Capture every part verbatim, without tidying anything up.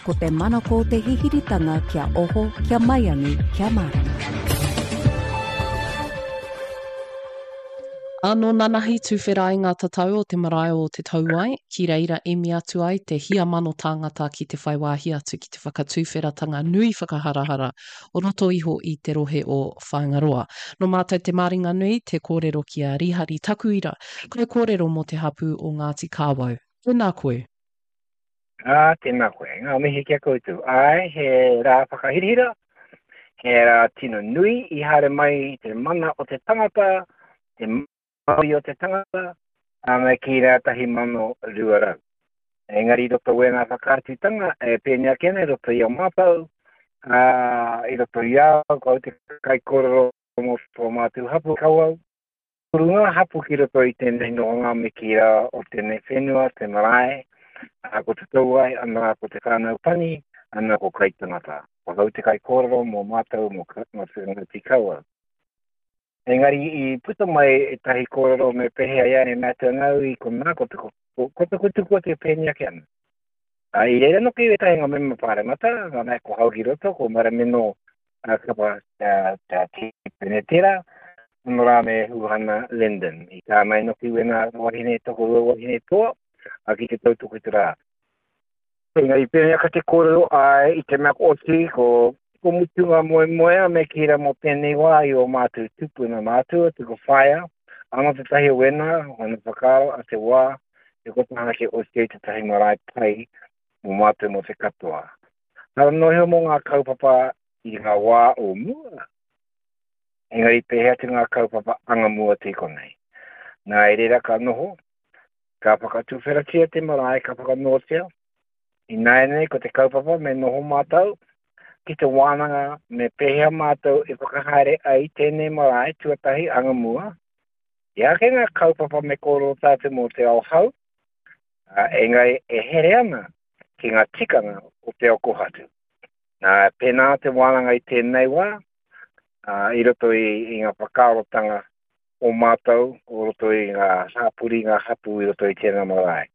Ko te manako o te hihiritanga kia oho, kia maiangi, kia mārama. Anō nanahi tuwhera ai ngā tatau o te marae o Te Tauai, ki reira emi atu ai te hia mano tāngata ki te whai wāhi atu ki te whakatuwheratanga nui whakaharahara o roto iho i te rohe o Whāingaroa. Nō mātou te māringanui te kōrero ki a Rihari Takuira, kaikōrero mō te hapū o Ngāti Kāwau. Tēnā koe. Ā, tēnā koe. Ngā mihi ki a koutou. Āe, he rā whakahirahira, he rā tino nui i haere mai te mana o te tangata, te mauri o te tangata, ā, me kī rā tahi mano rua rau. Engari i roto wēnā whakaatutanga, e pēnei ake ana i roto i a mātou, ā, i roto i a au, ko au te kaikōrero mō tō mātou hapū Kawau. Toru ngā hapū ki roto i tēnei nohonga me kī rā o tēnei whenua, te marae, ā, ko Te Tauai, ana ko Te Whānau Pani, ana ko Kaitangata. Ko au te kaikōrero mō mātou, mō Ngāti Kawau. Engari i puta mai ētahi kōrero me pēhea ia e mea atu ana au i konā, ko te, ko, ko te kutuku atu e pēnei ake ana. Ā, i reira noki ētahi ngā mema pāremata, ngā mea ko hau ki roto, ko Marameno uh, Kapa uh, tā Tipene tērā, ono rā me Huhana Lyndon. I tā mai noki wēnā wahine tokorua wahine toa, a ki te tautoko i te rā. Engari pēnei ake te kōrero, āe, i te mea ko oti, ko, ko mutu ngā moemoeā me kī rā mō tēnei wā i ō mātou tupuna mātua, tuku whaea, anō tētahi o wēnā, ōna whakaaro a te wā, e kota ana kia oti ai tētahi marae pai mō mātou mō te katoa. Hara noa iho mō ngā kaupapa i ngā wā o mua, engari pēhea atu ngā kaupapa anga mua atu i konei. Nā, i reira ka noho, ka whakatuwheratia te marae, ka whakanōtia. Ināianei ko te kaupapa me noho mātou ki te wānanga me pēhea mātou e whakahaere ai tēnei marae tuatahi anga mua. I ake ngā kaupapa me kōrero tātou mō te ao hau, ā, engari e here ana ki ngā tikanga o te ao kohatu. Nā, pēnā te wānanga i tēnei wā, ā, i roto i, i ngā whakaarotanga o mātou, o roto i ngā hāpori, ngā hapū i roto i tēnā marae.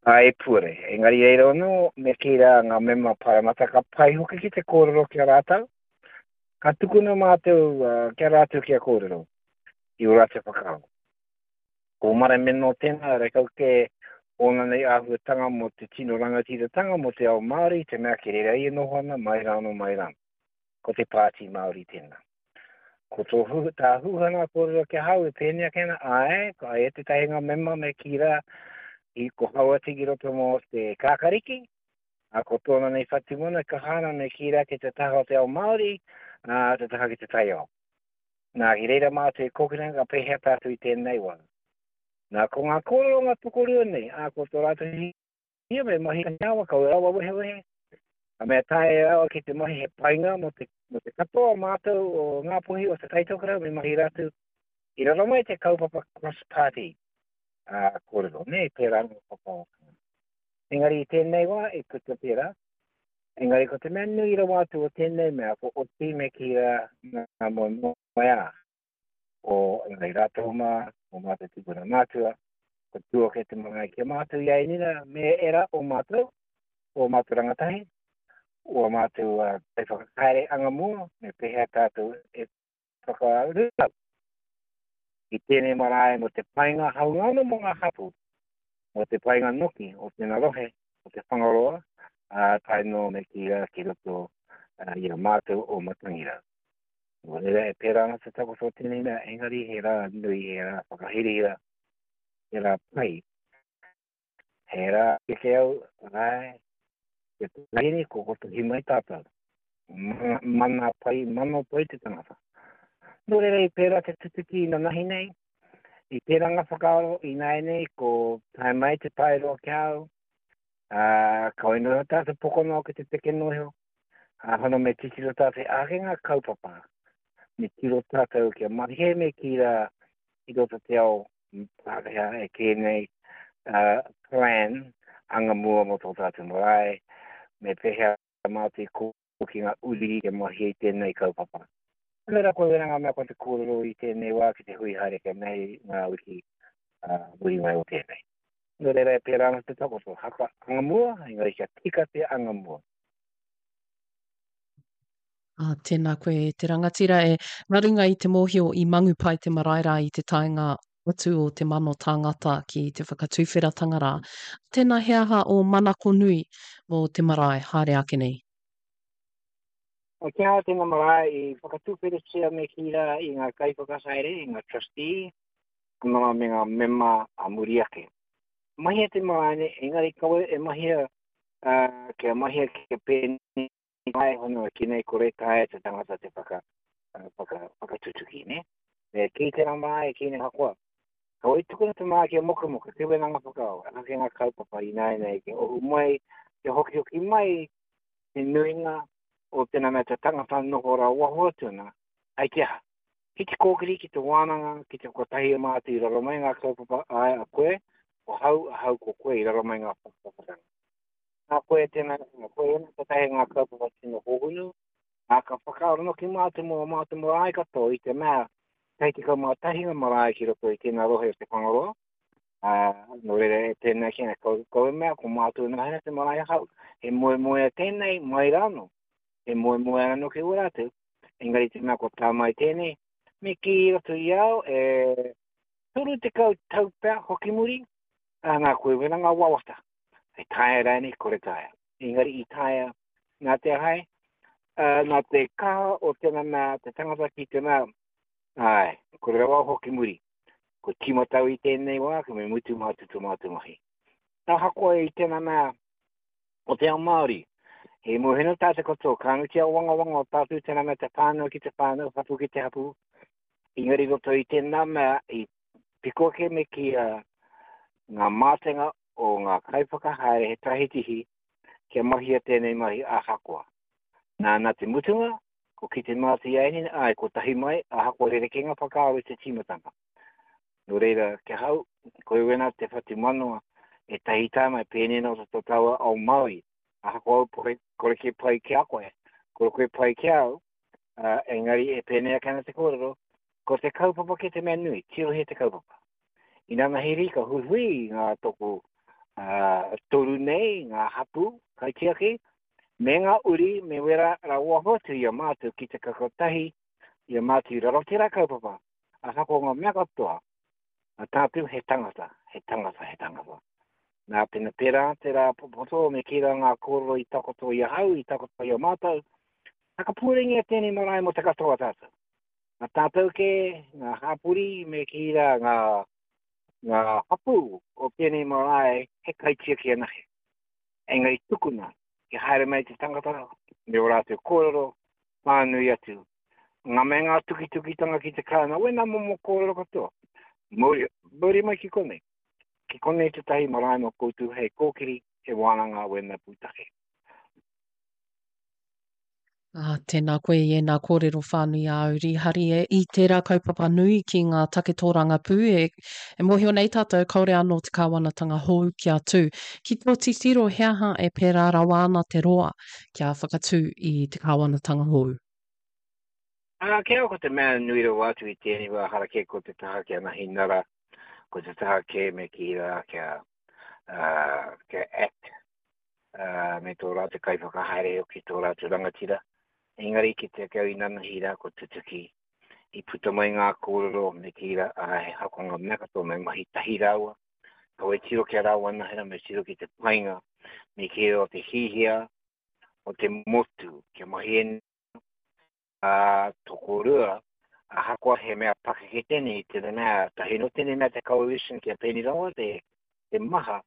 Ā, e puare. Engari reira anō, me kī rā ngā mema Pāremata ka pai hoki ki te kōrero ki a rātou. Ka tukuna mātou uh, ki a rātou kia kōrero i ō rātou whakaaro. Ko Marameno tēnā, rekau kē ōna nei āhuatanga mō te tino rangatiratanga mō te ao Māori, te mea ki reira ia noho ana, mai rānō, mai rānō. Ko te Pāti Māori tēnā. Ko tō hu, tā Huhana kōrero ki ahau e pēnei ake ana, āe, ko aia tētahi ngā mema me kī rā, i ko Hauati ki roto mō te Kākariki, ā, ko tōna nei whatumana kaha ana me kī rā ki te taha o te ao Māori, ā, te taha ki te taiao. Nā, ki reira mātou e kōkiri ana ka pēhea tātou i tēnei wā. Nā, ko ngā kōrero ngā tokorua nei, ā, ko tō rātou hia me mahi tahi awa, kaua rawa wehewehe, a mea taea rawa ki te mahi he painga mō te, mō te katoa o mātou o Ngāpuhi o Te Taitokerau me mahi rātou i raro mai te kaupapa cross party ā, kōrero, nē, pērā ngā whakaarotanga. Engari i tēnei wā e puta pērā, engari ko te mea nui rawa atu o tēnei mea, ko oti me kī rā ngā moemoeā o engari rātou mā, o mātou tūpuna mātua, ko tū ake te mangai ki a mātou i a Enina me ērā o mātou, o mātou rangatahi, o mātou uh, kaiwhakahaere anga mua, me pēhea tātou e whakarūrau i tēnei marae mō te painga haunga anō mō ngā hapū, mō te painga noki o tēnā rohe, o te Whangaroa, ā, tae noa me kī rā ki roto uh, i a mātou o Matangirau. Nō reira, e pērā ana te takoto o tēnei mea, engari he rā nui, he rā whakahirahira, he rā pai. He rā keke au, āe, te tahiri, ko kotahi mai tātou. Mana, mana pai, mano pai te tangata. Nō reira, i pērā te tutuki nanahi nei, i pērā ngā whakaaro ināianei, ko tae mai te paeroa ki a au, ā, kaua noa iho tātou pokonoa ki te peke noa iho, ā, hono me titiro tātou ake ngā kaupapa, me tiro tātou kia mahi me kī rā i roto te ao Pākehā e kē nei uh, plan anga mua mō tō tātou marae, me pēhea mātou i kōki ngā uri kia mahi ai tēnei kaupapa. Nō reira, ko wena ngā mea ko te kōrero i tēnei wā ki te hui haere kia nei ngā wiki uh, muri mai o tēnei. Nō reira, e pērā ana te takoto, haka anga mua, engari kia tika te anga mua. Ā, tēnā koe e te rangatira e, nā runga i te mōhio i mangu pai te marae rā i te taenga atu o te mano tāngata ki te whakatuwheratanga rā. Tēnā he aha ō manako nui mō te marae haere ake nei? Ki a tēnā marae i whakatuwheratia me kī rā i ngā kaiwhakahaere, i ngā trustee, anō me ngā mema a muri ake. Mahia te marae nei, engari kawe e mahia, uh, kia mahia kia pēnei mai hono ki nei kore taea te tangata te whaka, whaka, whakatutuki, ne? Me kī te rā marae, kī nei hakoa. Kawe tukuna te marae kia mokamoka, te wenanga whakaaro, anake ngā kaupapa ināianei kia ohu mai, kia hokihoki mai te nuinga o tēnā mea te tangata noho rā waho atu ana, ai te aha? Ki te kōkiri, ki te wānanga, ki te whakatahi a mātou i raro mai ngā kaupapa, āe a koe, ko hau, ahau ko koe i raro mai ngā whakapapatanga. Nā koe tēnā, nā koe ēnā tētahi ngā kaupapa tino hōhonu, ā, ka whakaaro noki mātou mō ā mātou marae katoa i te mea kei tekau mā tahi ngā marae ki roto i tēnā rohe o Te Whangaroa, ā, nō reira e tēnā ki ana kau, kau e mea ko mātou nahena te marae ahau, he moemoea tēnei mai rānō, he moemoea anō ki ō rātou, engari te mea kua tā mai tēnei, me kī i roto i au e toru tekau tau pea hoki muri, ā, nā koe wena ngā wawata. E taea rānei, kore taea. Engari i taea nā te aha, uh, nā te kaha o tēnā mea, te tangata ki te mea, āe, kore rawa hoki muri. Ko tīmatau i tēnei wā, ko me mutu mātou tō mātou mahi. Ahakoa i tēnā mea o te ao Māori, he mōheno tātou katoa, ka anu te awangawanga o tātou tēnā mea te whānau ki te whānau, hapu ki te hapu, engari roto i tēnā mea, i piko ake me ki uh, ngā mātenga o ngā kaiwhakahaere he tahitihi kia mahia tēnei mahi ahakoa. Nā, nā te mutunga, ko ki te māti aini, ai, ko tahi mai, ahakoa rerekē ngā whakaaro i te tīmatanga. Nō reira, kia hau, koe wena te whatu manawa, e tahi tā mai pēnei nō tō tāua ao Māori. Ahakoa au pore, kore ke pai ki a koe, kore koe pai ki a au, uh, engari e pēnei ake ana te kōrero, ko te kaupapa ke te mea nui, tirohia te kaupapa. Inanahi ka huihui ngā toko uh, toru nei, ngā hapu, kaitiaki, me ngā uri, me wera rawa atu i a mātou ki te kakotahi i a mātou i raro tērā kaupapa. Ahakoa ngā mea katoa, a tātou he tangata, he tangata, he tangata. Nā pena pērā, tērā popoto, me kī rā ngā kōrero i takoto i ahau, i takoto i a mātou, Whakapūrengia tēnei marae mō te katoa tātou. Ngā tātou kē, ngā hapori, me kī rā ngā ngā hapū o tēnei marae he kaitiaki anahe. Engari tukuna, kia haere mai te tangata me ō rātou kōrero, pānui atu. Ngā me ngā tukitukitanga ki te kāinga, wēnā momo kōrero katoa. Mauri, mauri mai ki konei. Ki konei tētahi marae mō koutou hei kōkiri, he wānanga wēnā pūtake. Ā, tēnā koe i ēnā kōrero whānui āu, Rīhari, e, i tērā kaupapa nui ki ngā take tōrangapū, e, e mōhio nei tātou kāore anō te kāwanatanga hou kia tū. Ki tō titiro, he aha e pērā rawa ana te roa kia whakatū i te kāwanatanga hou? Ā, ki au ko te mea nui rawa atu i tēnei wā harakē ko te taha kia Nahinara, ko te taha kē me kī rā kia, uh, kia act, uh, me tō rātou kaiwhakahaere hoki, tō rātou rangatira. Engari ki te kau inanahi rā ko tutuki, i puta mai ngā kōrero me kī rā, ā, he hakonga mea katoa me mahi tahi rāua. Kaua e tiro ki a rāua anahera, me tiro ki te painga, me kī rā o te hihia, o te motu, kia mahi e ā, tokorua, ahakoa he mea pakeke tēnei, te mea, tahi no tēnei mea te coalition kia pēnei rawa te, te maha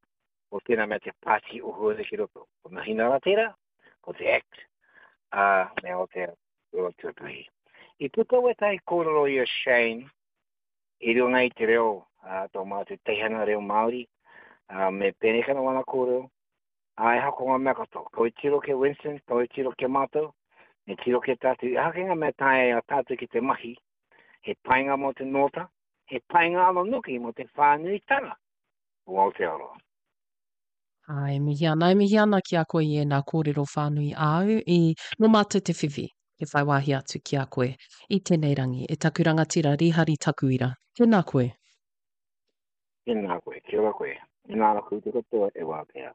o tēnā mea te pāti o Huare ki roto. Ko Nahinara tērā, ko te Act, ā, me Aotearoa tuatahi. I puta wētahi kōrero i a Shane i runga i te reo, ā, tō mātou teihana reo Māori, ā, me pēnei kana wana kōrero, ā, e hako ngā mea katoa. Kau e tiro ki a Winston, kau e tiro ki a mātou, me tiro ki a tātou. I hake ngā mea taea a tātou ki te mahi, he painga mō te nōta, he painga anō noki mō te whānuitanga o Aotearoa. Ā, e mihi ana, e mihi ana ki a koe i ēnā kōrero whānui āu i nō mātou te whiwhi, te whai wāhi atu ki a koe i tēnei rangi. E taku rangatira Rīhari Takuira, tēnā koe. Tēnā koe, kia ora koe. Inā ra koutou katoa e wātea.